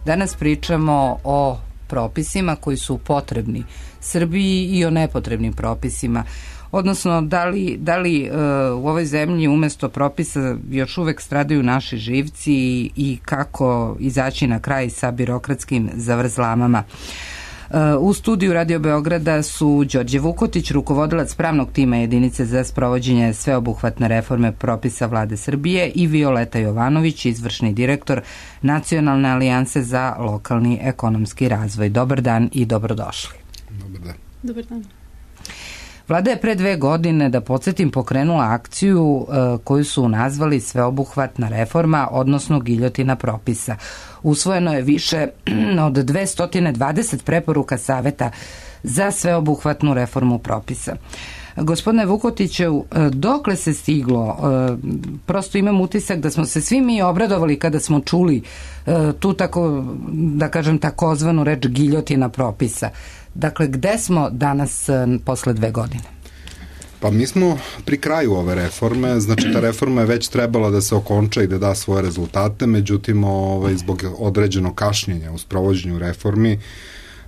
Danas pričamo o propisima koji su potrebni Srbiji i o nepotrebnim propisima. Odnosno, da li u ovoj zemlji umesto propisa još uvek stradaju naši živci i kako izaći na kraj sa birokratskim zavrzlamama. U studiju Radio Beograda su Đorđe Vukotić, rukovodilac pravnog tima jedinice za sprovođenje sveobuhvatne reforme propisa Vlade Srbije, i Violeta Jovanović, izvršni direktor Nacionalne alijanse za lokalni ekonomski razvoj. Dobar dan i dobrodošli. Dobar dan. Dobar dan. Vlada je pre 2 godine, da podsjetim, pokrenula akciju koju su nazvali sveobuhvatna reforma, odnosno giljotina propisa. Usvojeno je više od 220 preporuka Saveta za sveobuhvatnu reformu propisa. Gospodine Vukotiću, dokle se stiglo? Prosto imam utisak da smo se svi mi obradovali kada smo čuli tu tako, da kažem, takozvanu reč giljotina propisa. Dakle, gde smo danas posle 2 godine? Pa mi smo pri kraju ove reforme, znači ta reforma je već trebala da se okonča i da da svoje rezultate, međutim zbog određenog kašnjenja u sprovođenju reformi,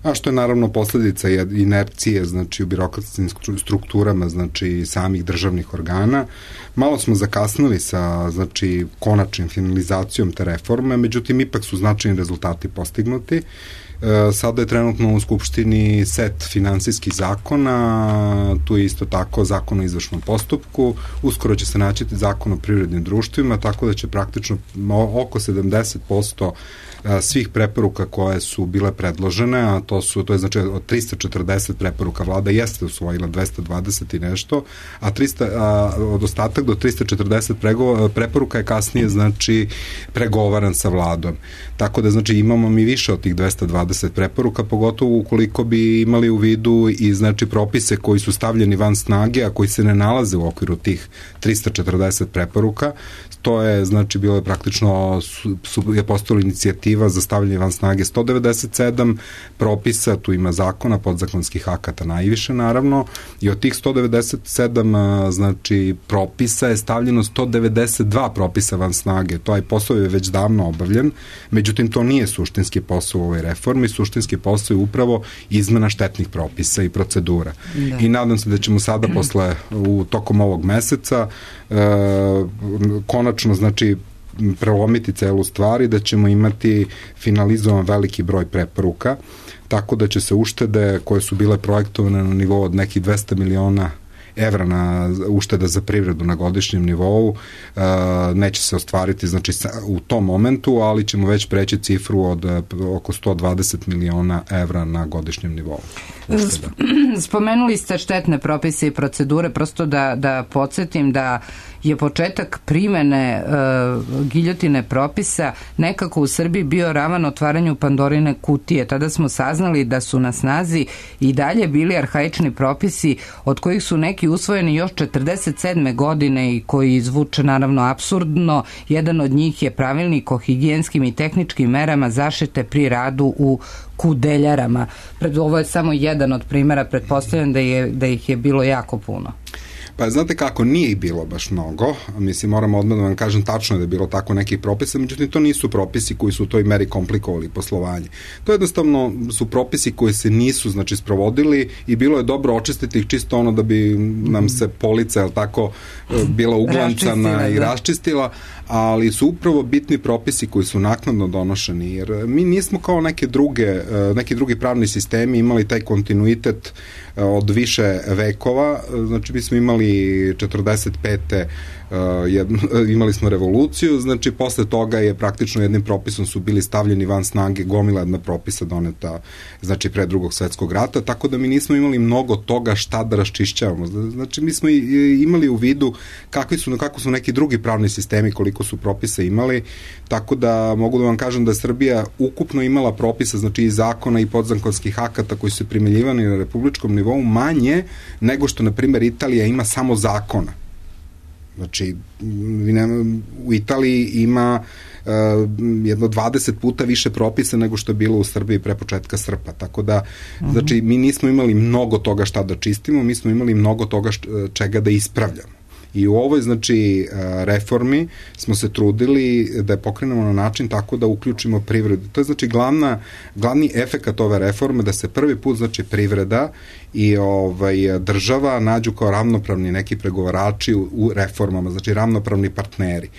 a što je naravno posledica inercije, znači u birokratskim strukturama, znači samih državnih organa, malo smo zakasnili sa, znači, konačnim finalizacijom te reforme, međutim ipak su značajni rezultati postignuti. Sada je trenutno u Skupštini set finansijskih zakona, tu je isto tako zakon o izvršnom postupku, uskoro će se naći zakon o privrednim društvima, tako da će praktično oko 70% svih preporuka koje su bile predložene, a to je znači od 340 preporuka, Vlada jeste usvojila 220 i nešto, od ostatak do 340 preporuka je kasnije, znači, pregovaran sa Vladom. Tako da, znači, imamo mi više od tih 220 preporuka, pogotovo ukoliko bi imali u vidu i, znači, propise koji su stavljeni van snage, a koji se ne nalaze u okviru tih 340 preporuka. To je, znači, bilo je praktično, je postala inicijativa za stavljanje van snage 197 propisa, tu ima zakona, podzakonskih akata najviše, naravno, i od tih 197, znači, propisa je stavljeno 192 propisa van snage. To je posao je već davno obavljen, međutim, to nije suštinski posao u ovoj reformi, suštinski posao je upravo izmena štetnih propisa i procedura. Da. I nadam se da ćemo sada tokom ovog meseca konačno, znači, prelomiti celu stvar i da ćemo imati finalizovan veliki broj preporuka, tako da će se uštede koje su bile projektovane na nivou od nekih 200 miliona evra na ušteda za privredu na godišnjem nivou, neće se ostvariti, znači, u tom momentu, ali ćemo već preći cifru od oko 120 miliona evra na godišnjem nivou. Spomenuli ste štetne propise i procedure, prosto da podsjetim da je početak primene giljotine propisa nekako u Srbiji bio ravan otvaranju Pandorine kutije. Tada smo saznali da su na snazi i dalje bili arhaični propisi, od kojih su neki usvojeni još 47. godine i koji zvuče naravno apsurdno. Jedan od njih je pravilnik o higijenskim i tehničkim merama zaštite pri radu u kudeljarama. Ovo je samo jedan od primera, pretpostavljam da ih je bilo jako puno. Pa znate kako, nije ih bilo baš mnogo, mislim, moramo odmah da vam kažem, tačno je da je bilo tako nekih propisa, međutim to nisu propisi koji su u toj meri komplikovali poslovanje. To jednostavno su propisi koji se nisu, znači, sprovodili i bilo je dobro očistiti ih čisto ono da bi nam se polica, jel tako, bila uglancana i raščistila, ali su upravo bitni propisi koji su naknadno donošeni, jer mi nismo kao neki drugi pravni sistemi imali taj kontinuitet od više vekova, znači mi smo imali 45. imali smo revoluciju, znači posle toga je praktično jednim propisom su bili stavljeni van snage gomila jedna propisa doneta, znači pre Drugog svetskog rata, tako da mi nismo imali mnogo toga šta da raščišćavamo. Znači mi smo imali u vidu kako su neki drugi pravni sistemi, koliko su propisa imali, tako da mogu da vam kažem da je Srbija ukupno imala propisa, znači i zakona i podzakonskih akata koji su primenjivani na republičkom nivou manje nego što, na primjer, Italija ima samo zakona. Znači, u Italiji ima jedno 20 puta više propisa nego što je bilo u Srbiji pre početka srpnja. Tako da, znači, mi nismo imali mnogo toga šta da čistimo, mi smo imali mnogo toga čega da ispravljamo. I u ovoj, znači, reformi smo se trudili da je pokrenemo na način tako da uključimo privredu. To je, znači, glavni efekat ove reforme, da se prvi put, znači, privreda i država nađu kao ravnopravni neki pregovarači u reformama, znači ravnopravni partneri,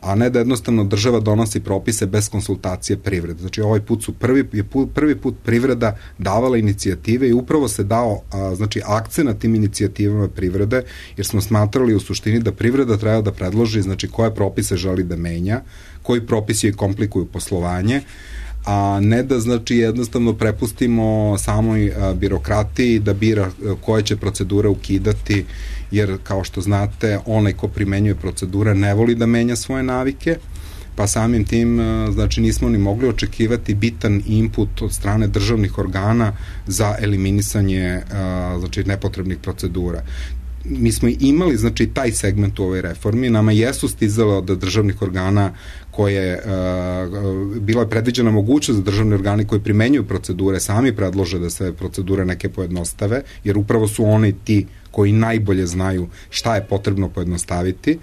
a ne da jednostavno država donosi propise bez konsultacije privrede. Znači, ovaj put su prvi put privreda davala inicijative i upravo se dao znači, akcent na tim inicijativama privrede, jer smo smatrali u suštini da privreda treba da predloži, znači, koje propise želi da menja, koji propisi joj komplikuju poslovanje, a ne da, znači, jednostavno prepustimo samoj birokratiji da bira koje će procedure ukidati, jer, kao što znate, onaj ko primenjuje procedure ne voli da menja svoje navike, pa samim tim, znači, nismo ni mogli očekivati bitan input od strane državnih organa za eliminisanje, znači, nepotrebnih procedura. Mi smo imali, znači, taj segment u ovoj reformi, nama jesu stizale od državnih organa koje, bila je predviđena mogućnost da državni organi koji primenjuju procedure sami predlože da se procedure neke pojednostave, jer upravo su oni ti koji najbolje znaju šta je potrebno pojednostaviti.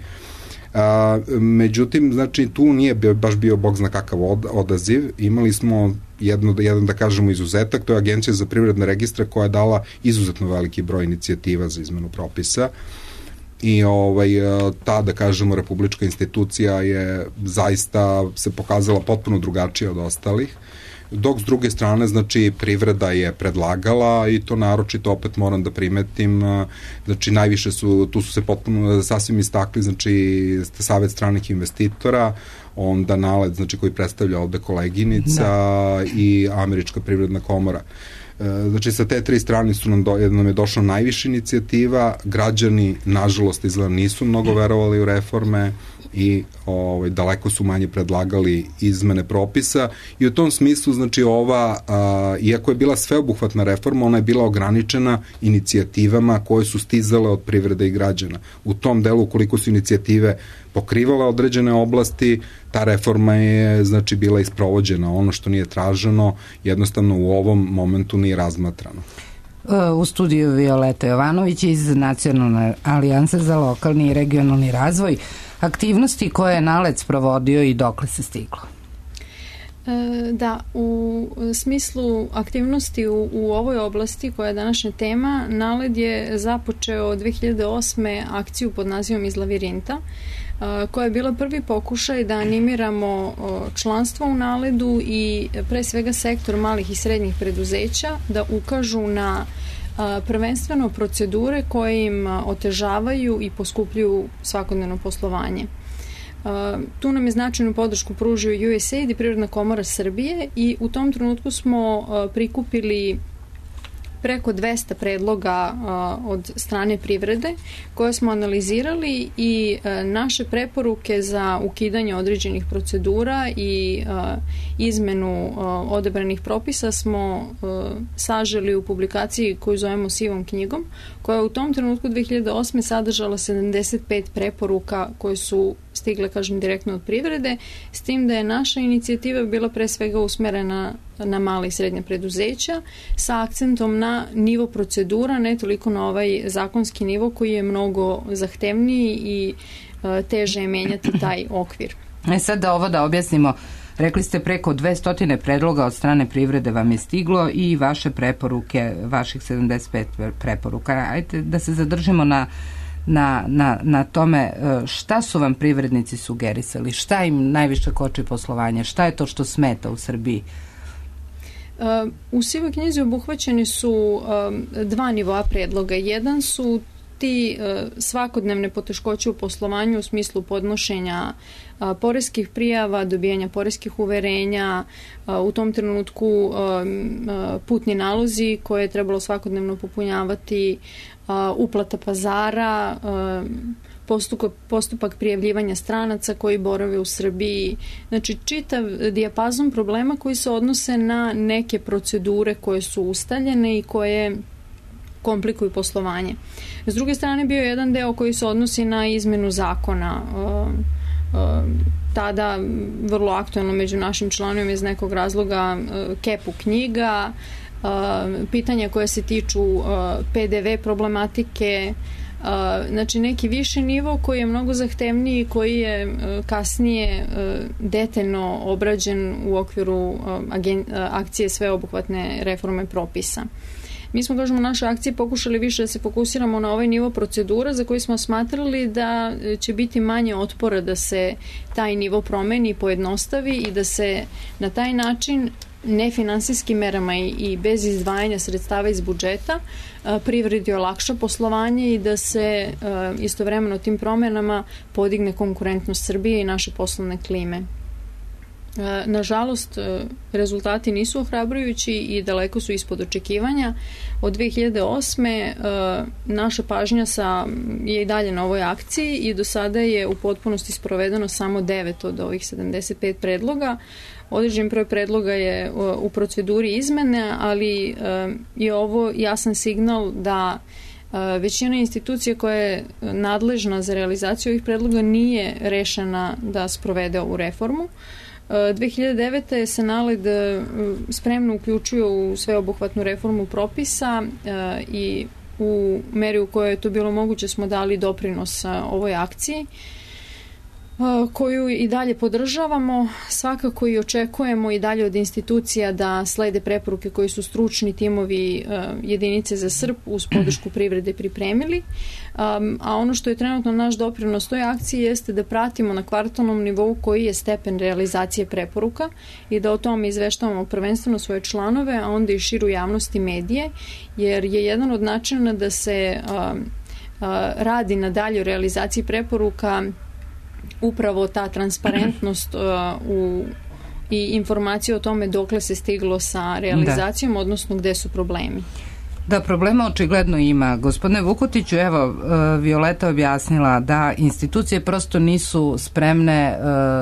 Međutim, znači, tu nije baš bio bog zna kakav odaziv. Imali smo jedan, da kažemo, izuzetak, to je Agencija za privredne registre koja je dala izuzetno veliki broj inicijativa za izmenu propisa i ta, da kažemo, republička institucija je zaista se pokazala potpuno drugačija od ostalih, dok s druge strane, znači, privreda je predlagala i to naročito, opet moram da primetim, znači, najviše tu su se potpuno sasvim istakli, znači, Savet stranih investitora, onda NALED, znači, koji predstavlja ovde koleginica i Američka privredna komora. Znači, sa te tri strane nam je došla najviše inicijativa, građani, nažalost, izgleda nisu mnogo verovali u reforme i daleko su manje predlagali izmene propisa i u tom smislu, znači, iako je bila sveobuhvatna reforma, ona je bila ograničena inicijativama koje su stizale od privrede i građana. U tom delu, ukoliko su inicijative pokrivala određene oblasti, ta reforma je, znači, bila isprovođena. Ono što nije traženo, jednostavno u ovom momentu nije razmatrano. U studiju Violeta Jovanović iz Nacionalne alijanse za lokalni i regionalni razvoj. Aktivnosti koje je NALED sprovodio i dokle se stiglo? Da, u smislu aktivnosti u ovoj oblasti koja je današnja tema, NALED je započeo 2008. akciju pod nazivom Iz lavirinta, koja je bila prvi pokušaj da animiramo članstvo u NALED-u i pre svega sektor malih i srednjih preduzeća da ukažu na prvenstveno procedure koje im otežavaju i poskupljuju svakodnevno poslovanje. Tu nam je značajnu podršku pružio USAID i Privredna komora Srbije i u tom trenutku smo prikupili preko 200 predloga od strane privrede koje smo analizirali i naše preporuke za ukidanje određenih procedura i izmenu odabranih propisa smo saželi u publikaciji koju zovemo Sivom knjigom, koja u tom trenutku 2008. sadržala 75 preporuka koje su stigle, kažem, direktno od privrede, s tim da je naša inicijativa bila pre svega usmerena na mala i srednja preduzeća sa akcentom na nivo procedura, ne toliko na ovaj zakonski nivo koji je mnogo zahtevniji i teže je menjati taj okvir. Sad da objasnimo, rekli ste preko 200 predloga od strane privrede vam je stiglo i vaše preporuke, vaših 75 preporuka. Ajde da se zadržimo na tome šta su vam privrednici sugerisali, šta im najviše koči poslovanje, šta je to što smeta u Srbiji? U Sivoj knjizi obuhvaćeni su dva nivoa predloga. Jedan su ti svakodnevne poteškoće u poslovanju u smislu podnošenja poreskih prijava, dobijanja poreskih uverenja, u tom trenutku putni nalozi koje je trebalo svakodnevno popunjavati, uplata pazara, postupak prijavljivanja stranaca koji borave u Srbiji. Znači, čitav dijapazon problema koji se odnose na neke procedure koje su ustaljene i koje komplikuju poslovanje. S druge strane, bio je jedan deo koji se odnosi na izmenu zakona. Tada vrlo aktuelno među našim članovima iz nekog razloga kepu knjiga, pitanja koje se tiču PDV problematike, Znači neki viši nivo koji je mnogo zahtevniji, koji je kasnije detaljno obrađen u okviru akcije sveobuhvatne reforme propisa. Mi smo, kažemo, naše akcije pokušali više da se fokusiramo na ovaj nivo procedura za koji smo smatrali da će biti manje otpora da se taj nivo promeni i pojednostavi i da se na taj način nefinansijskim merama i bez izdvajanja sredstava iz budžeta privredi olakša poslovanje i da se istovremeno tim promenama podigne konkurentnost Srbije i naše poslovne klime. Nažalost, rezultati nisu ohrabrujući i daleko su ispod očekivanja. Od 2008. naša pažnja je i dalje na ovoj akciji i do sada je u potpunosti sprovedeno samo 9 od ovih 75 predloga. Određen broj predloga je u proceduri izmene, ali je ovo jasan signal da većina institucija koja je nadležna za realizaciju ovih predloga nije rešena da sprovede ovu reformu. 2009. se NALED spremno uključio u sveobuhvatnu reformu propisa i u meri u kojoj je to bilo moguće smo dali doprinos ovoj akciji koju i dalje podržavamo. Svakako i očekujemo i dalje od institucija da slede preporuke koji su stručni timovi jedinice za SRP uz podršku privrede pripremili. A ono što je trenutno naš doprinos toj akciji jeste da pratimo na kvartalnom nivou koji je stepen realizacije preporuka i da o tome izveštavamo prvenstveno svoje članove, a onda i širu javnost i medije, jer je jedan od načina da se radi na daljoj realizaciji preporuka upravo ta transparentnost i informacije o tome dokle se stiglo sa realizacijom, odnosno gde su problemi. Da, problema očigledno ima. Gospodine Vukotiću, evo, Violeta objasnila da institucije prosto nisu spremne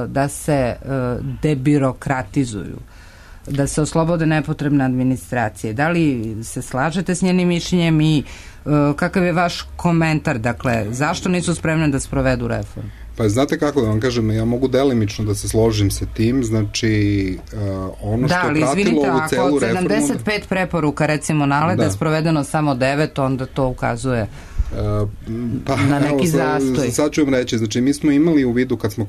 da se debirokratizuju, da se oslobode nepotrebne administracije. Da li se slažete s njenim mišljenjem i kakav je vaš komentar? Dakle, zašto nisu spremne da sprovedu reformu? Pa znate kako da vam kažem, ja mogu delimično da se složim sa tim, znači ono što je pratilo ovu celu reformu... Da, ali izvinite, ako od 75 preporuka recimo NALED-a je sprovedeno samo 9, onda to ukazuje na neki zastoj. Sad ću vam reći, znači mi smo imali u vidu, kad smo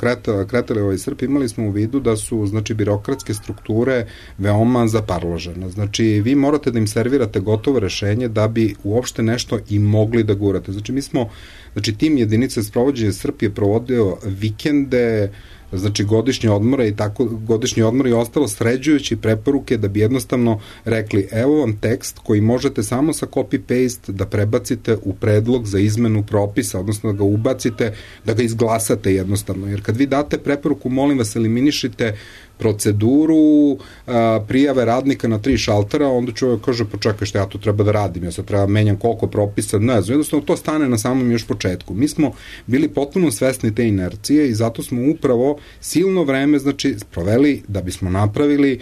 kretali ovaj SRP, imali smo u vidu da su, znači, birokratske strukture veoma zaparložene. Znači, vi morate da im servirate gotovo rešenje da bi uopšte nešto i mogli da gurate. Znači, tim jedinice sprovođenja SRP je provodio vikende, znači godišnje odmore i ostalo sređujući preporuke da bi jednostavno rekli evo vam tekst koji možete samo sa copy-paste da prebacite u predlog za izmenu propisa, odnosno da ga ubacite, da ga izglasate jednostavno. Jer kad vi date preporuku, molim vas, eliminišite proceduru prijave radnika na 3 šaltera, onda čovjek kaže, pa čekaj, šta ja to treba da radim, ja sad treba menjam koliko propisa, ne znam, jednostavno to stane na samom još početku. Mi smo bili potpuno svesni te inercije i zato smo upravo silno vreme, znači, proveli da bismo napravili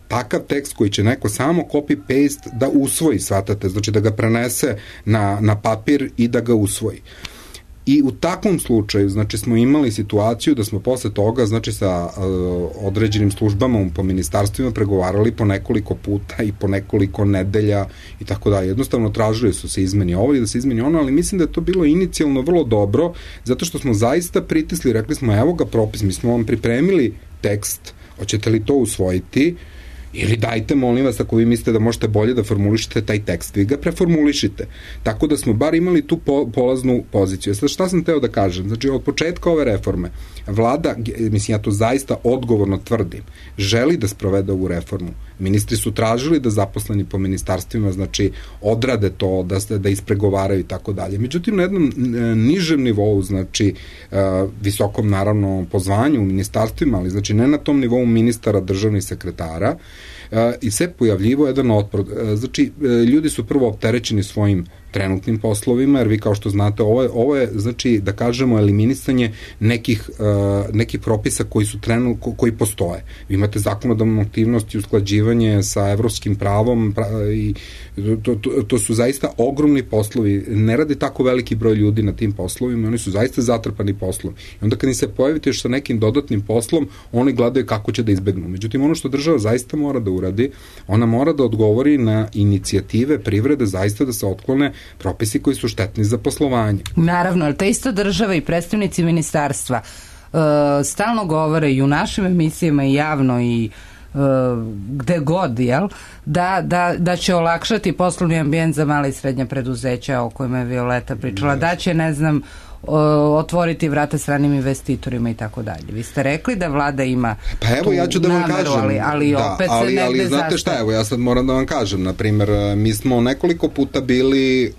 takav tekst koji će neko samo copy-paste da usvoji, shvatate, znači da ga prenese na papir i da ga usvoji. I u takvom slučaju, znači, smo imali situaciju da smo posle toga, znači, sa određenim službama po ministarstvima pregovarali po nekoliko puta i po nekoliko nedelja i tako dalje. Jednostavno tražili su se izmeni ovo i da se izmeni ono, ali mislim da je to bilo inicijalno vrlo dobro, zato što smo zaista pritisli, rekli smo, evo ga propis, mi smo vam pripremili tekst, hoćete li to usvojiti? Ili dajte, molim vas, ako vi mislite da možete bolje da formulišete taj tekst, vi ga preformulišite. Tako da smo bar imali tu polaznu poziciju. Sad, šta sam teo da kažem? Znači, od početka ove reforme, vlada, mislim, ja to zaista odgovorno tvrdim, želi da sprovede ovu reformu. Ministri su tražili da zaposleni po ministarstvima, znači, odrade to, da ispregovaraju i tako dalje. Međutim, na jednom nižem nivou, znači, visokom, naravno, pozvanju u ministarstvima, ali, znači, ne na tom nivou ministara, državnih sekretara, i se pojavljivo jedan otpor. Znači, ljudi su prvo opterećeni svojim trenutnim poslovima, jer vi kao što znate, ovo je, znači, da kažemo, eliminisanje nekih propisa koji postoje. Vi imate zakonodavnu aktivnost i usklađivanje sa evropskim pravom i to su zaista ogromni poslovi. Ne radi tako veliki broj ljudi na tim poslovima, oni su zaista zatrpani poslom. I onda kad im se pojavite još sa nekim dodatnim poslom, oni gledaju kako će da izbegnu. Međutim, ono što država zaista mora mora da uradi? Ona mora da odgovori na inicijative privrede zaista da se otklone propisi koji su štetni za poslovanje. Naravno, ali ta ista država i predstavnici ministarstva stalno govore i u našim emisijama i javno i gde god, jel, da će olakšati poslovni ambijent za mala i srednja preduzeća o kojima je Violeta pričala, da će, ne znam, otvoriti vrata stranim investitorima i tako dalje. Vi ste rekli da vlada ima ja ću da vam nameru, kažem, ali opet se negde znate šta, evo ja sad moram da vam kažem, na primer, mi smo nekoliko puta bili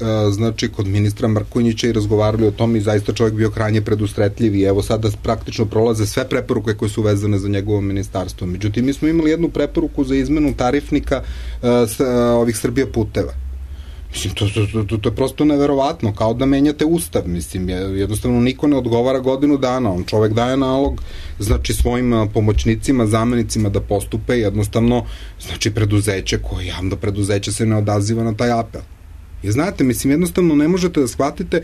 kod ministra Mrkonjića i razgovarali o tom i zaista čovjek bio krajnje predusretljiv i evo sada praktično prolaze sve preporuke koje su vezane za njegovo ministarstvo. Međutim, mi smo imali jednu preporuku za izmenu tarifnika ovih Srbija puteva. Mislim, to je prosto neverovatno, kao da menjate ustav, mislim, jednostavno niko ne odgovara godinu dana, on čovek daje nalog, znači svojim pomoćnicima, zamenicima da postupe, jednostavno, znači preduzeće, koje javno preduzeće se ne odaziva na taj apel. I znate, mislim, jednostavno ne možete da shvatite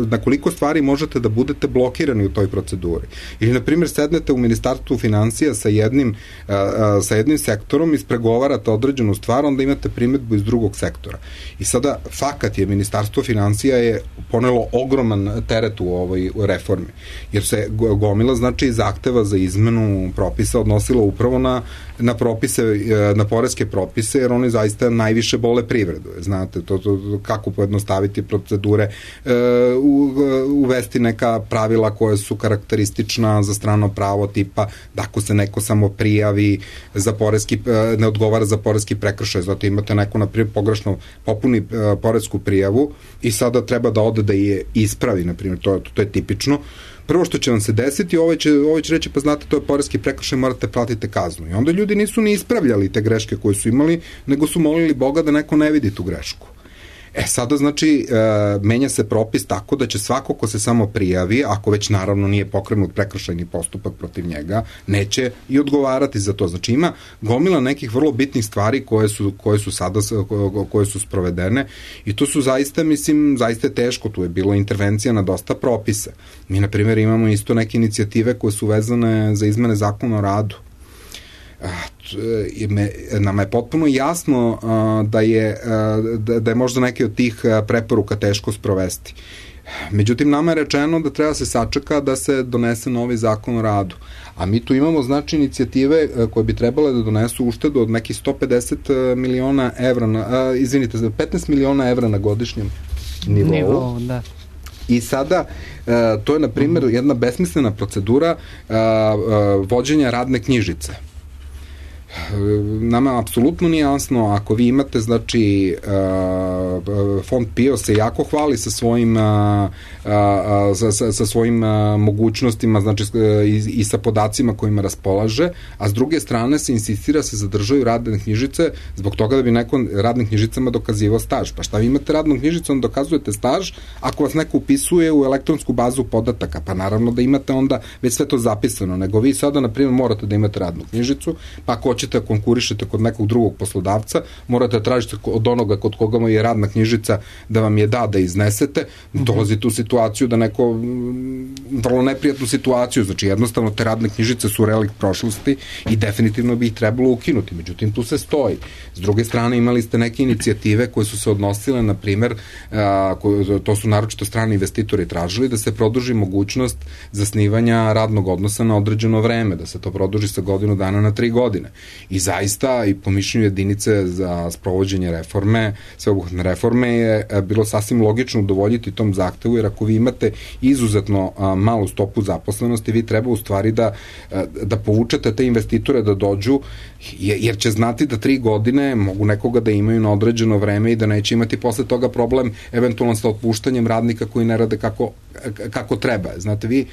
na koliko stvari možete da budete blokirani u toj proceduri. Ili, na primjer, sednete u Ministarstvu finansija sa jednim sektorom, ispregovarate određenu stvar, onda imate primedbu iz drugog sektora. I sada, fakat je, Ministarstvo finansija je ponelo ogroman teret u ovoj reformi. Jer se gomila, znači, zahteva za izmenu propisa odnosila upravo na propise, na poreske propise, jer oni zaista najviše bole privredu. Znate, kako pojednostaviti procedure, uvesti neka pravila koja su karakteristična za strano pravo, tipa da ako se neko samo prijavi za poreski, ne odgovara za poreski prekršaj, zato imate neko, na primjer, pogrešno popuni poresku prijavu i sada treba da ode da je ispravi, na primjer, to je tipično. Prvo što će vam se desiti, ovaj će reći, pa znate, to je poreski prekršaj, morate platiti kaznu. I onda ljudi nisu ni ispravljali te greške koje su imali, nego su molili Boga da neko ne vidi tu grešku. Sada, znači, menja se propis tako da će svako ko se samo prijavi, ako već naravno nije pokrenut prekršajni postupak protiv njega, neće i odgovarati za to. Znači, ima gomila nekih vrlo bitnih stvari koje su sprovedene i to su zaista, mislim, zaista teško. Tu je bilo intervencija na dosta propisa. Mi, na primjer, imamo isto neke inicijative koje su vezane za izmene zakona o radu. Nama je potpuno jasno da je možda neke od tih preporuka teško sprovesti. Međutim, nama je rečeno da treba se sačeka da se donese novi zakon o radu. A mi tu imamo, znači, inicijative koje bi trebale da donesu uštedu od nekih 150 miliona evra, 15 miliona evra na godišnjem nivou. Da. I sada, to je, na primjer, jedna besmislena procedura vođenja radne knjižice. Nama apsolutno nije jasno, ako vi imate, znači, Fond PIO se jako hvali sa svojim mogućnostima, znači, i sa podacima kojima raspolaže, a s druge strane se insistira se zadržaju radne knjižice zbog toga da bi neko radnim knjižicama dokazivao staž. Pa šta vi imate radnom knjižicom, dokazujete staž ako vas neko upisuje u elektronsku bazu podataka, pa naravno da imate onda već sve to zapisano, nego vi sada, na primjer, morate da imate radnu knjižicu, pa ako hoćete da konkurišete kod nekog drugog poslodavca, morate da tražite od onoga kod koga je radna knjižica da vam je da iznesete, dolazite u situaciju da neko, vrlo neprijatnu situaciju, znači jednostavno te radne knjižice su relikt prošlosti i definitivno bi ih trebalo ukinuti, međutim tu se stoji. S druge strane imali ste neke inicijative koje su se odnosile, na primer, to su naročito strani investitori tražili, da se produži mogućnost zasnivanja radnog odnosa na određeno vreme, da se to produži sa godinu dana na 3 godine. I zaista, i po mišljenju jedinice za sprovođenje reforme, sveobuhvatne reforme, je bilo sasvim logično udovoljiti tom zahtevu, jer ako vi imate izuzetno malu stopu zaposlenosti, vi treba u stvari da povučete te investitore da dođu, jer će znati da 3 godine mogu nekoga da imaju na određeno vreme i da neće imati posle toga problem eventualno sa otpuštanjem radnika koji ne rade kako treba. Znate, vi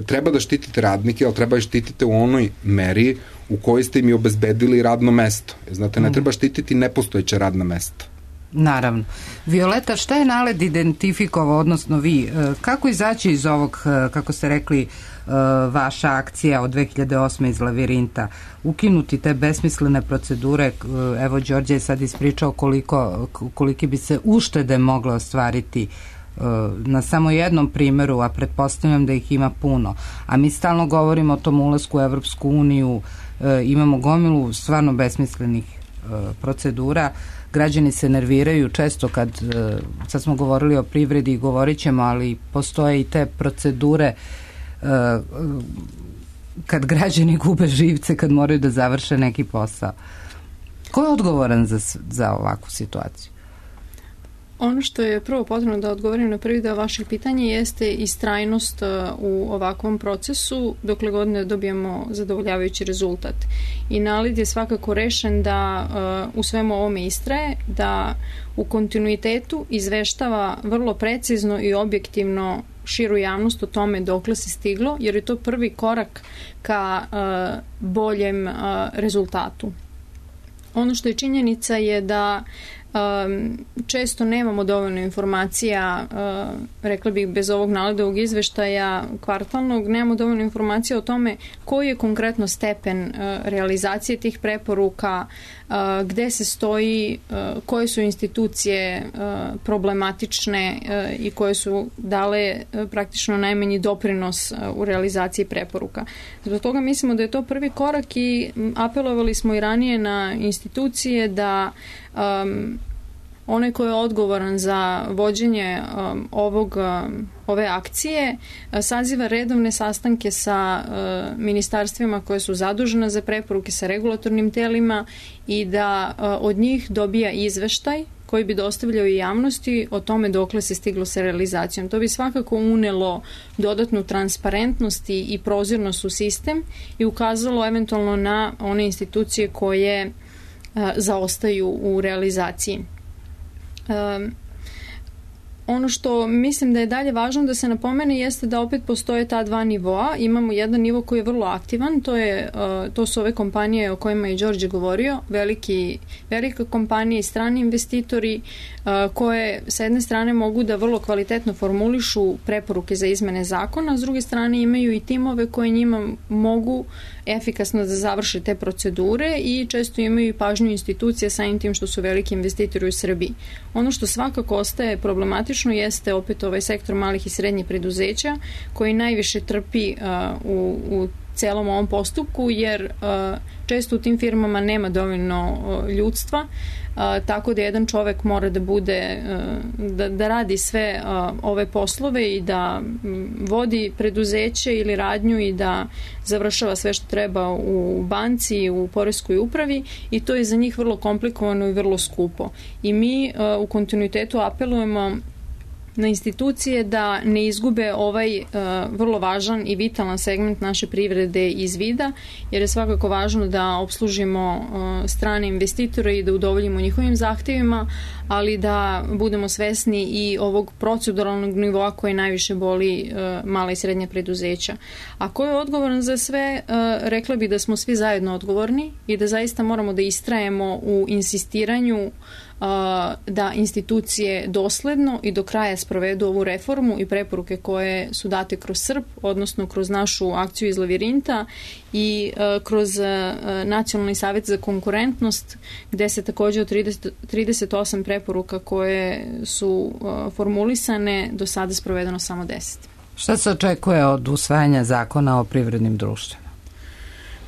treba da štitite radnike, ali treba da štitite u onoj meri u kojoj ste im i obezbedili radno mesto. Znate, ne treba štititi nepostojeće radna mesta. Naravno. Violeta, šta je NALED identifikovao, odnosno vi, kako izaći iz ovog, kako ste rekli, vaša akcija od 2008. iz Lavirinta, ukinuti te besmislene procedure? Evo, Đorđe je sad ispričao koliki bi se uštede mogle ostvariti na samo jednom primjeru, a pretpostavljam da ih ima puno. A mi stalno govorimo o tom ulasku u Evropsku uniju imamo gomilu stvarno besmislenih procedura. Građani se nerviraju često sad smo govorili o privredi i govorit ćemo, ali postoje i te procedure kad građani gube živce, kad moraju da završe neki posao. Ko je odgovoran za ovakvu situaciju? Ono što je prvo potrebno da odgovorim na prvi deo vaših pitanja jeste istrajnost u ovakvom procesu dokle god ne dobijemo zadovoljavajući rezultat. I NALED je svakako rešen da u svemu ovome istraje, da u kontinuitetu izveštava vrlo precizno i objektivno širu javnost o tome dokle se stiglo, jer je to prvi korak ka boljem rezultatu. Ono što je činjenica je da često nemamo dovoljno informacija, rekla bih bez ovog NALED-ovog izveštaja kvartalnog, nemamo dovoljno informacija o tome koji je konkretno stepen realizacije tih preporuka, gde se stoji, koje su institucije problematične i koje su dale praktično najmanji doprinos u realizaciji preporuka. Zbog toga mislimo da je to prvi korak i apelovali smo i ranije na institucije da onaj ko je odgovoran za vođenje ove akcije saziva redovne sastanke sa ministarstvima koje su zadužena za preporuke, sa regulatornim telima i da od njih dobija izveštaj koji bi dostavljao i javnosti o tome dokle se stiglo sa realizacijom. To bi svakako unelo dodatnu transparentnost i prozirnost u sistem i ukazalo eventualno na one institucije koje zaostaju u realizaciji. Ono što mislim da je dalje važno da se napomene jeste da opet postoje ta dva nivoa. Imamo jedan nivo koji je vrlo aktivan, to su ove kompanije o kojima je Đorđe govorio, velike kompanije i strani investitori koje sa jedne strane mogu da vrlo kvalitetno formulišu preporuke za izmene zakona, a s druge strane imaju i timove koje njima mogu efikasno da završe te procedure i često imaju i pažnju institucija samim tim što su veliki investitori u Srbiji. Ono što svakako ostaje problematično jeste opet ovaj sektor malih i srednjih preduzeća koji najviše trpi u celom ovom postupku jer često u tim firmama nema dovoljno ljudstva, tako da jedan čovek mora da bude, da radi sve ove poslove i da vodi preduzeće ili radnju i da završava sve što treba u banci, u poreskoj upravi i to je za njih vrlo komplikovano i vrlo skupo. I mi u kontinuitetu apelujemo na institucije da ne izgube ovaj vrlo važan i vitalan segment naše privrede iz vida, jer je svakako važno da obslužimo strane investitore i da udovoljimo njihovim zahtevima, ali da budemo svesni i ovog proceduralnog nivoa koji najviše boli mala i srednja preduzeća. A ko je odgovoran za sve? Rekla bi da smo svi zajedno odgovorni i da zaista moramo da istrajemo u insistiranju da institucije dosledno i do kraja sprovedu ovu reformu i preporuke koje su date kroz SRP, odnosno kroz našu akciju iz Lavirinta i kroz Nacionalni savjet za konkurentnost, gde se takođe od 38 preporuka koje su formulisane do sada sprovedeno samo 10. Šta se očekuje od usvajanja zakona o privrednim društvima?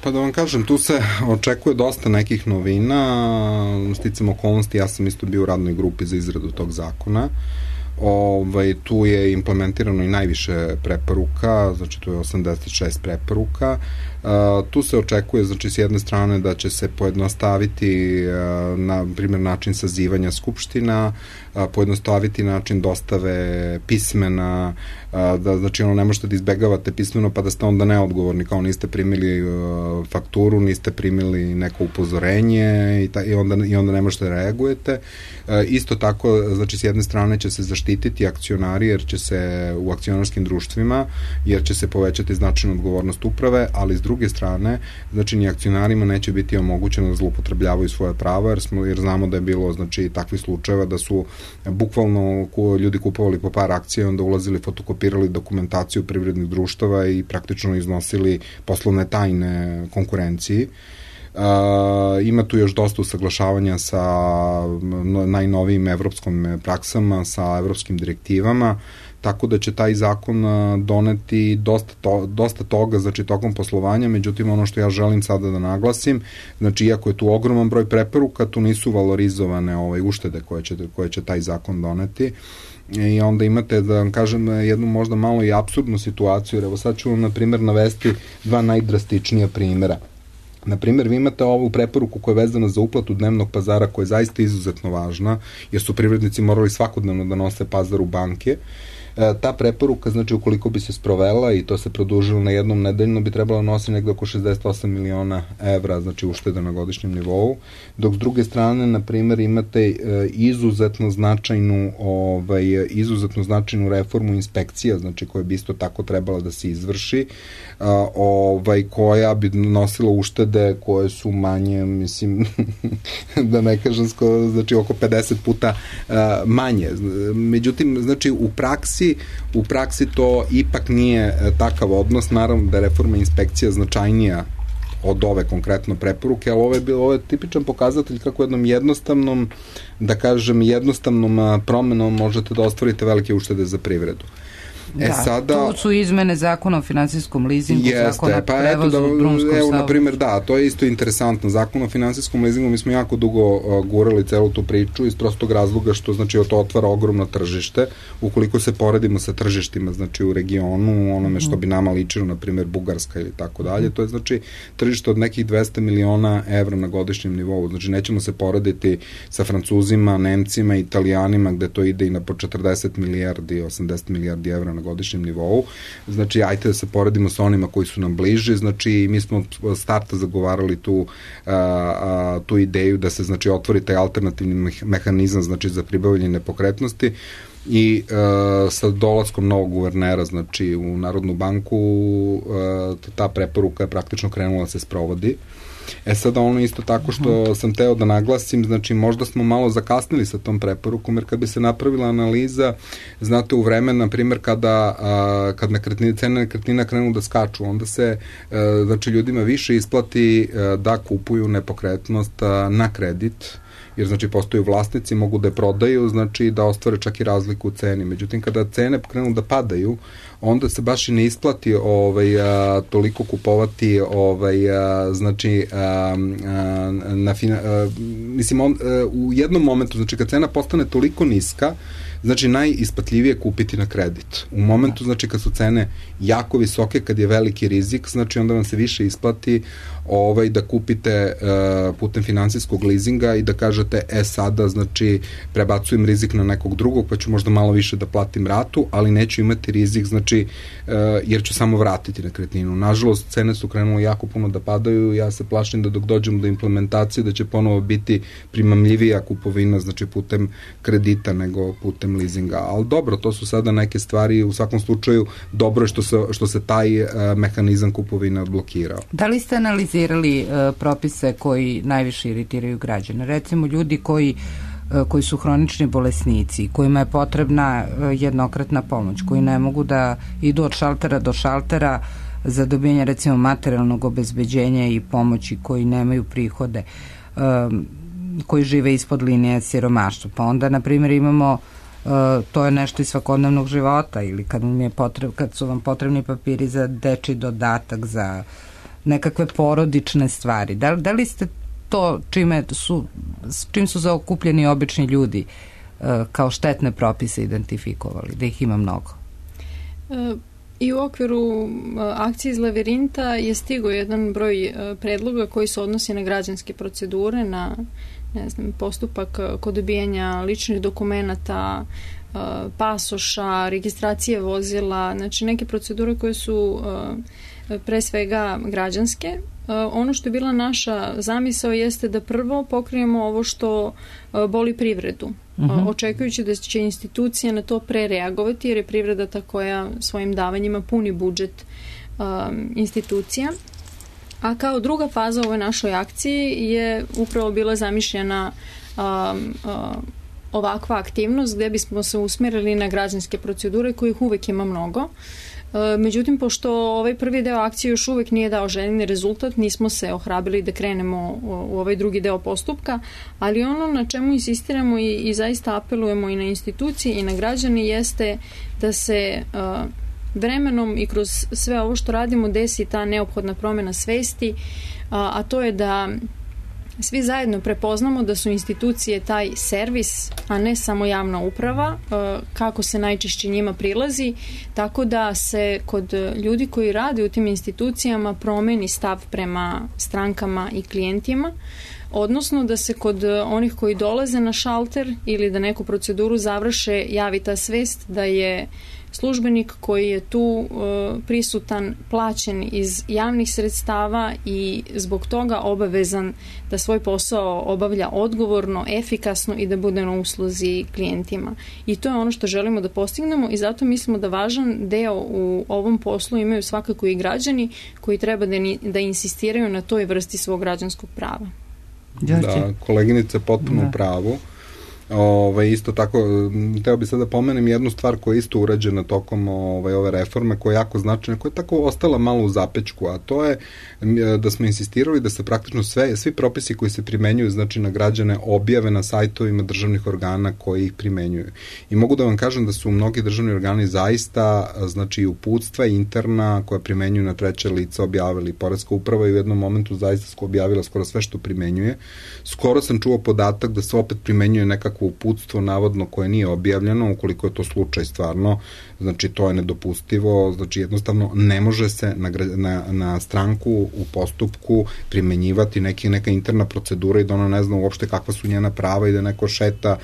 Pa da vam kažem, tu se očekuje dosta nekih novina, sticam okolnosti, ja sam isto bio u radnoj grupi za izradu tog zakona. Tu je implementirano i najviše preporuka, znači tu je 86 preporuka. Tu se očekuje, znači s jedne strane da će se pojednostaviti na primjer način sazivanja skupština, pojednostaviti način dostave pismena, da znači ne možete da izbegavate pismeno pa da ste onda neodgovorni, kao niste primili fakturu, niste primili neko upozorenje i onda ne možete da reagujete. Isto tako, znači s jedne strane će se zaštititi akcionari jer će se u akcionarskim društvima, jer će se povećati značajna odgovornost uprave, ali s druge strane, znači ni akcionarima neće biti omogućeno da zloupotrebljavaju svoje prava, jer znamo da je bilo znači takvih slučajeva da su bukvalno ljudi kupovali po par akcija i onda ulazili, fotokopirali dokumentaciju privrednih društava i praktično iznosili poslovne tajne konkurenciji. Ima tu još dosta usaglašavanja sa najnovijim evropskom praksama, sa evropskim direktivama, tako da će taj zakon doneti dosta toga, znači tokom poslovanja, međutim ono što ja želim sada da naglasim, znači iako je tu ogroman broj preporuka, tu nisu valorizovane uštede koje će taj zakon doneti. I onda imate, da vam kažem, jednu možda malo i apsurdnu situaciju, jer evo sad ću vam na primjer navesti dva najdrastičnija primjera. Na primjer, vi imate ovu preporuku koja je vezana za uplatu dnevnog pazara, koja je zaista izuzetno važna, jer su privrednici morali svakodnevno da nose pazar u banke. Ta preporuka, znači, ukoliko bi se sprovela i to se produžilo na jednom nedeljno, bi trebalo nositi negde oko 68 miliona evra, znači uštede na godišnjem nivou, dok s druge strane, na primjer, imate izuzetno značajnu reformu inspekcija, znači koja bi isto tako trebala da se izvrši, koja bi nosila uštede koje su manje, mislim, da ne kažem, znači oko 50 puta manje. Međutim, znači, u praksi to ipak nije takav odnos, naravno da je reforma inspekcija značajnija od ove konkretno preporuke, ali ovo je tipičan pokazatelj kako jednom jednostavnom promenom možete da ostvarite velike uštede za privredu. Tu su izmene zakona o finansijskom lizingu, zakona o prevozu drumskog saobraćaja. Evo, na primjer, to je isto interesantno. Zakon o finansijskom lizingu, mi smo jako dugo gurali celu tu priču iz prostog razloga što, znači, to otvara ogromno tržište. Ukoliko se poredimo sa tržištima, znači, u regionu, onome što bi nama ličilo, na primjer, Bugarska ili tako dalje, to je, znači, tržište od nekih 200 miliona evra na godišnjem nivou. Znači, nećemo se porediti sa Francuzima, Nemcima, Italijanima, gde to ide i na po 40 milijardi, 80 milijardi evra na godišnjem nivou. Znači, ajte da se poredimo sa onima koji su nam bliži. Znači, mi smo od starta zagovarali tu ideju da se, znači, otvori taj alternativni mehanizam, znači, za pribavljanje nepokretnosti i sa dolaskom novog guvernera, znači, u Narodnu banku ta preporuka je praktično krenula da se sprovodi. Sada ono isto tako što sam teo da naglasim, znači možda smo malo zakasnili sa tom preporukom, jer kad bi se napravila analiza, znate, u vreme, na primjer, kad cene nekretnina krenu da skaču, onda se, znači, ljudima više isplati da kupuju nepokretnost na kredit, jer, znači, postoju vlasnici, mogu da je prodaju, znači, da ostvare čak i razliku u ceni. Međutim, kada cene krenu da padaju, onda se baš i ne isplati toliko kupovati, znači, u jednom momentu, znači, kad cena postane toliko niska, znači, najisplatljivije kupiti na kredit. U momentu, znači, kad su cene jako visoke, kad je veliki rizik, znači, onda vam se više isplati da kupite putem finansijskog lizinga i da kažete, sada, znači, prebacujem rizik na nekog drugog, pa ću možda malo više da platim ratu, ali neću imati rizik, znači, jer ću samo vratiti nekretninu. Nažalost, cene su krenule jako puno da padaju, ja se plašim da dok dođemo do implementacije, da će ponovo biti primamljivija kupovina, znači, putem kredita nego putem lizinga. Ali dobro, to su sada neke stvari, u svakom slučaju dobro je što se taj mehanizam kupovine odblokirao. Da li ste analizirali propise koji najviše iritiraju građane? Recimo, ljudi koji su hronični bolesnici, kojima je potrebna jednokratna pomoć, koji ne mogu da idu od šaltera do šaltera za dobijanje, recimo, materijalnog obezbeđenja i pomoći, koji nemaju prihode, koji žive ispod linije siromaštva. Pa onda, na primjer, imamo to je nešto iz svakodnevnog života, ili kad su vam potrebni papiri za dečiji dodatak, za nekakve porodične stvari. Da li ste to čim su zaokupljeni obični ljudi kao štetne propise identifikovali, da ih ima mnogo? I u okviru akcije iz Lavirinta je stigao jedan broj predloga koji se odnosi na građanske procedure, na, ne znam, postupak kod dobijanja ličnih dokumenata, pasoša, registracije vozila, znači neke procedure koje su pre svega građanske. Ono što je bila naša zamisao jeste da prvo pokrijemo ovo što boli privredu, očekujući da će institucija na to prereagovati, jer je privreda ta koja svojim davanjima puni budžet institucija. A kao druga faza u ovoj našoj akciji je upravo bila zamišljena ovakva aktivnost gde bismo se usmerili na građanske procedure kojih uvek ima mnogo. Međutim, pošto ovaj prvi deo akcije još uvek nije dao željeni rezultat, nismo se ohrabili da krenemo u ovaj drugi deo postupka, ali ono na čemu insistiramo i zaista apelujemo i na institucije i na građani jeste da se vremenom i kroz sve ovo što radimo desi ta neophodna promena svesti, a to je da svi zajedno prepoznamo da su institucije taj servis, a ne samo javna uprava, kako se najčešće njima prilazi, tako da se kod ljudi koji rade u tim institucijama promeni stav prema strankama i klijentima, odnosno da se kod onih koji dolaze na šalter ili da neku proceduru završe javi ta svest da je službenik koji je tu prisutan, plaćen iz javnih sredstava i zbog toga obavezan da svoj posao obavlja odgovorno, efikasno i da bude na usluzi klijentima. I to je ono što želimo da postignemo i zato mislimo da važan deo u ovom poslu imaju svakako i građani koji treba da insistiraju na toj vrsti svog građanskog prava. Da, koleginica je potpuno u pravu. Isto tako, teo bi sad da pomenem jednu stvar koja je isto urađena tokom ove reforme, koja je jako značajna, koja je tako ostala malo u zapečku, a to je da smo insistirali da se praktično svi propisi koji se primenjuju, znači na građane, objave na sajtovima državnih organa koji ih primenjuju. I mogu da vam kažem da su mnogi državni organi zaista, znači uputstva interna koja primenjuju na treće lice objavili. Poreska uprava je u jednom momentu zaista objavila skoro sve što primenjuje. Skoro sam čuo podatak da se opet primenjuje nekako uputstvo navodno koje nije objavljeno, ukoliko je to slučaj stvarno, znači to je nedopustivo, znači jednostavno ne može se na stranku u postupku primenjivati neka interna procedura i da ona ne zna uopšte kakva su njena prava i da neko šeta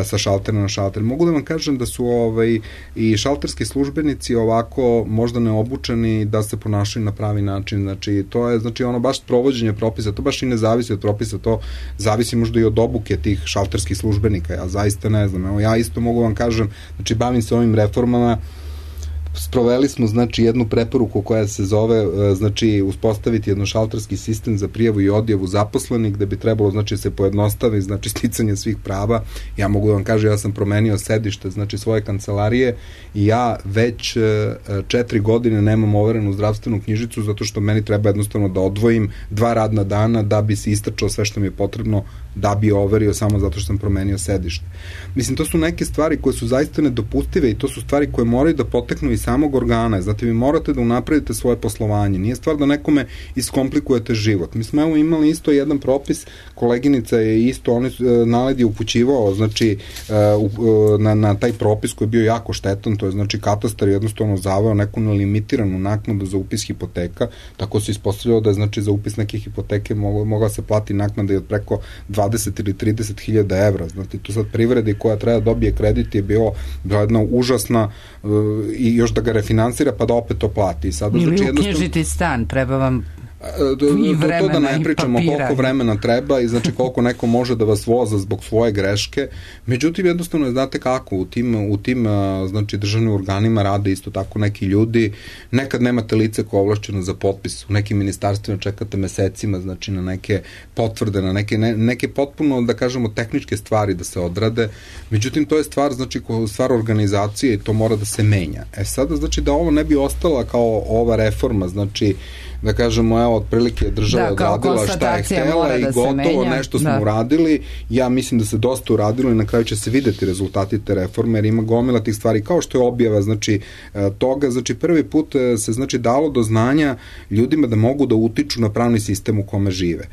sa šaltera na šalter. Mogu da vam kažem da su i šalterski službenici ovako možda neobučeni da se ponašaju na pravi način, znači to je ono baš provođenje propisa, to baš i ne zavisi od propisa, to zavisi možda i od obuke tih šalterskih službenika. Ja zaista ne znam, evo ja isto mogu vam kažem, znači bavim se ovim reformama, sproveli smo znači jednu preporuku koja se zove znači uspostaviti jednošalterski sistem za prijavu i odjavu zaposlenih, gde bi trebalo znači se pojednostavi znači sticanje svih prava. Ja mogu da vam kažem, ja sam promenio sedište znači svoje kancelarije i ja već 4 godine nemam overenu zdravstvenu knjižicu zato što meni treba jednostavno da odvojim 2 radna dana da bi se istračao sve što mi je potrebno da bi overio samo zato što sam promenio sedište. Mislim, to su neke stvari koje su zaista nedopustive i to su stvari koje moraju da poteknu iz samog organa. Znate, vi morate da unapredite svoje poslovanje. Nije stvar da nekome iskomplikujete život. Mi smo imali isto jedan propis, koleginica je isto, NALED je upućivao znači na taj propis koji je bio jako štetan, to je znači katastar jednostavno zaveo neku nelimitiranu naknadu za upis hipoteka, tako se ispostavljalo da je znači za upis neke hipoteke mogla se plati naknada i od preko 20 ili 30.000 evra. Znači, tu sad privredi koja treba dobije kredit je bila jedna užasna i još da ga refinansira pa da opet to plati. Sada, ili znači, uknjižiti stan, treba vam i vremena to da ne pričamo koliko vremena treba i znači koliko neko može da vas voza zbog svoje greške. Međutim, jednostavno znate kako u tim znači državnim organima rade isto tako neki ljudi. Nekad nemate lice koje je ovlašćeno za potpis. U nekim ministarstvima čekate mesecima znači na neke potvrde, na neke potpuno da kažemo tehničke stvari da se odrade. Međutim, to je stvar organizacije i to mora da se menja. Sada znači da ovo ne bi ostala kao ova reforma, znači da kažemo, evo, otprilike država odradila šta je htela i gotovo nešto smo uradili. Ja mislim da se dosta uradilo i na kraju će se videti rezultati te reforme, jer ima gomila tih stvari, kao što je objava, znači, toga, znači, prvi put se, znači, dalo do znanja ljudima da mogu da utiču na pravni sistem u kome žive.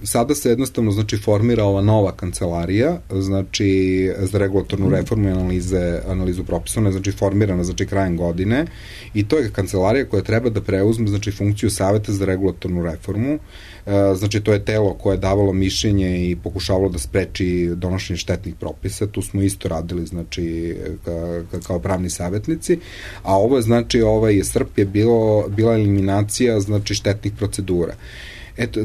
Sada se jednostavno, znači, formira ova nova kancelarija, znači, za regulatornu reformu i analizu propisa, ona je, znači, formirana, znači, krajem godine i to je kancelarija koja treba da preuzme, znači, funkciju Saveta za regulatornu reformu. Znači, to je telo koje je davalo mišljenje i pokušavalo da spreči donošenje štetnih propisa. Tu smo isto radili, znači, kao pravni savjetnici. A ovo je, znači, srp je bila eliminacija, znači, štetnih procedura. Eto,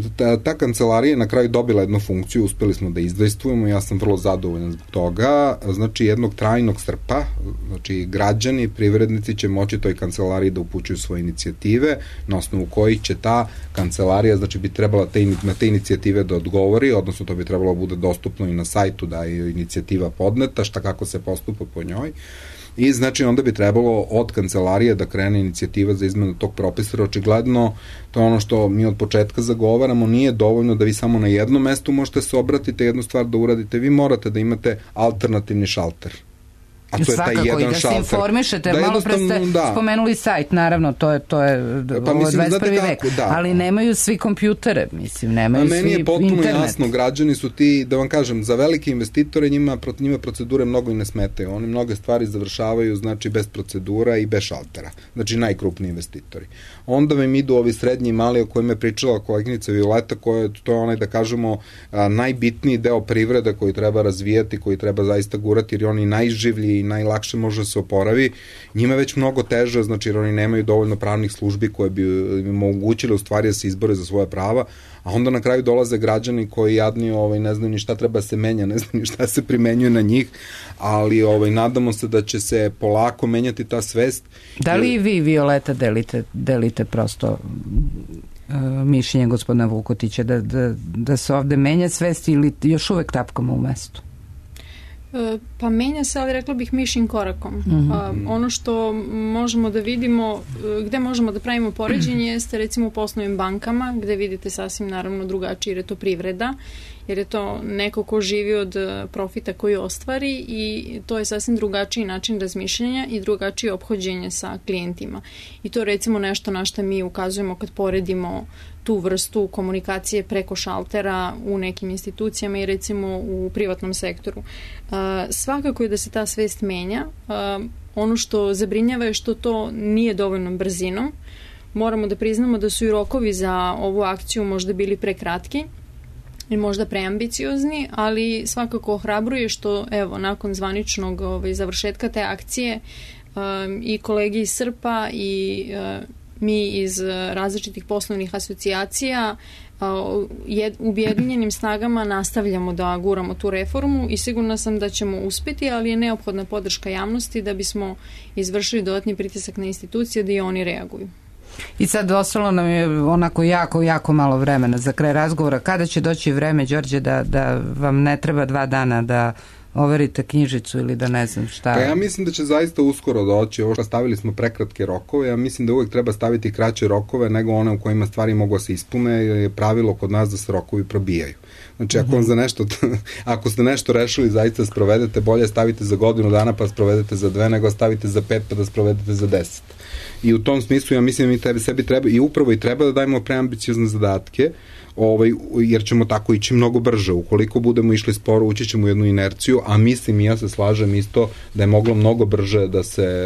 ta kancelarija je na kraju dobila jednu funkciju, uspeli smo da izdejstvujemo, ja sam vrlo zadovoljan zbog toga, znači jednog trajnog srpa, znači građani, privrednici će moći toj kancelariji da upućuju svoje inicijative, na osnovu kojih će ta kancelarija, znači bi trebala na te inicijative da odgovori, odnosno to bi trebalo bude dostupno i na sajtu da je inicijativa podneta, šta kako se postupa po njoj. I znači onda bi trebalo od kancelarije da krene inicijativa za izmenu tog propisa. Očigledno, to je ono što mi od početka zagovaramo, nije dovoljno da vi samo na jednom mestu možete se obratite, jednu stvar da uradite, vi morate da imate alternativni šalter. A to svakako, je taj jedan i da se informišete, da malo pre ste spomenuli sajt, naravno, to je pa, mislim, 21. vek, ali nemaju svi kompjutere, mislim, nemaju svi internet. Meni je potpuno jasno, građani su ti, da vam kažem, za velike investitore njima procedure mnogo i ne smetaju, oni mnoge stvari završavaju, znači, bez procedura i bez šaltera, znači, najkrupniji investitori. Onda vam idu ovi srednji i mali o kojima je pričala koleginica Violeta, to je onaj, da kažemo, najbitniji deo privrede koji treba razvijati, koji treba zaista gurati, jer je oni najživlji i najlakše može da se oporavi. Njima je već mnogo teže, znači jer oni nemaju dovoljno pravnih službi koje bi im omogućile u stvari da se izbore za svoje prava, a onda na kraju dolaze građani koji jadni ne znaju ni šta treba se menja, ne znaju ni šta se primenjuje na njih, ali nadamo se da će se polako menjati ta svest. Da li i vi, Violeta, delite prosto mišljenje gospodina Vukotića da se ovde menja svest ili još uvek tapkamo u mestu? Pa menja se, ali rekla bih mišljim korakom. Ono što možemo da vidimo, gde možemo da pravimo poređenje jeste recimo u poslovnim bankama, gde vidite sasvim naravno drugačije, jer je to privreda, jer je to neko ko živi od profita koji ostvari i to je sasvim drugačiji način razmišljanja i drugačije ophođenje sa klijentima. I to je recimo nešto na što mi ukazujemo kad poredimo tu vrstu komunikacije preko šaltera u nekim institucijama i recimo u privatnom sektoru. Svakako je da se ta svest menja. Ono što zabrinjava je što to nije dovoljno brzinom. Moramo da priznamo da su i rokovi za ovu akciju možda bili prekratki i možda preambiciozni, ali svakako ohrabruje što evo nakon zvaničnog završetka te akcije i kolege iz SRPA i mi iz različitih poslovnih asocijacija ujedinjenim snagama nastavljamo da guramo tu reformu i sigurna sam da ćemo uspeti, ali je neophodna podrška javnosti da bismo izvršili dodatni pritisak na institucije da i oni reaguju. I sad ostalo nam je onako jako malo vremena za kraj razgovora. Kada će doći vreme, Đorđe, da vam ne treba 2 dana da overite knjižicu ili da ne znam šta? Pa ja mislim da će zaista uskoro doći. Ovo što stavili smo prekratke rokove, ja mislim da uvek treba staviti kraće rokove nego one u kojima stvari mogu se ispune, jer je pravilo kod nas da se rokovi probijaju. Znači, ako ste nešto rešili, zaista sprovedete, bolje stavite za godinu dana pa sprovedete za 2, nego stavite za 5 pa da sprovedete za 10. I u tom smislu ja mislim da mi sebi treba i upravo i treba da dajemo preambiciozne zadatke, jer ćemo tako ići mnogo brže. Ukoliko budemo išli sporo, ući ćemo u jednu inerciju, a mislim i ja se slažem isto da je moglo mnogo brže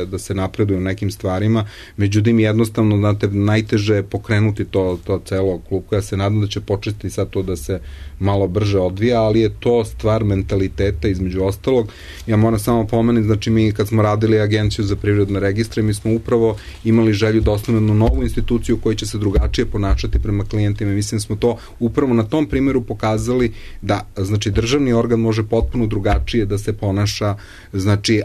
da se napreduje u nekim stvarima. Međutim, jednostavno, znate, najteže je pokrenuti to celo klupko. Ja se nadam da će početi sad to da se malo brže odvija, ali je to stvar mentaliteta između ostalog. Ja moram samo pomenuti, znači mi kad smo radili Agenciju za privredne registre, mi smo upravo imali želju da osnovimo novu instituciju koja će se drugačije ponašati prema klijentima. Mislim smo to upravo na tom primjeru pokazali da, znači, državni organ može potpuno drugačije da se ponaša, znači,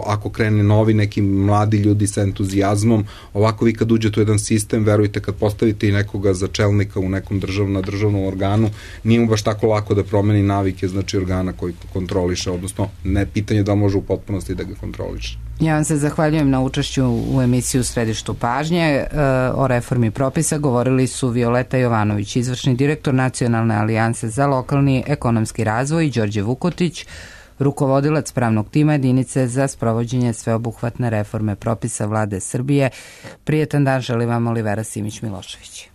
ako krene novi neki mladi ljudi sa entuzijazmom, ovako vi kad uđete u jedan sistem, verujte, kad postavite i nekoga za čelnika u nekom državnom organu, nije mu baš tako lako da promeni navike, znači, organa koji kontroliše, odnosno, ne pitanje da može u potpunosti da ga kontroliše. Ja vam se zahvaljujem na učešću u emisiju U središtu pažnje. O reformi propisa govorili su Violeta Jovanović, izvršni direktor Nacionalne alijanse za lokalni ekonomski razvoj, i Đorđe Vukotić, rukovodilac pravnog tima jedinice za sprovođenje sveobuhvatne reforme propisa Vlade Srbije. Prijetan dan želim vam Olivera Simić-Milošević.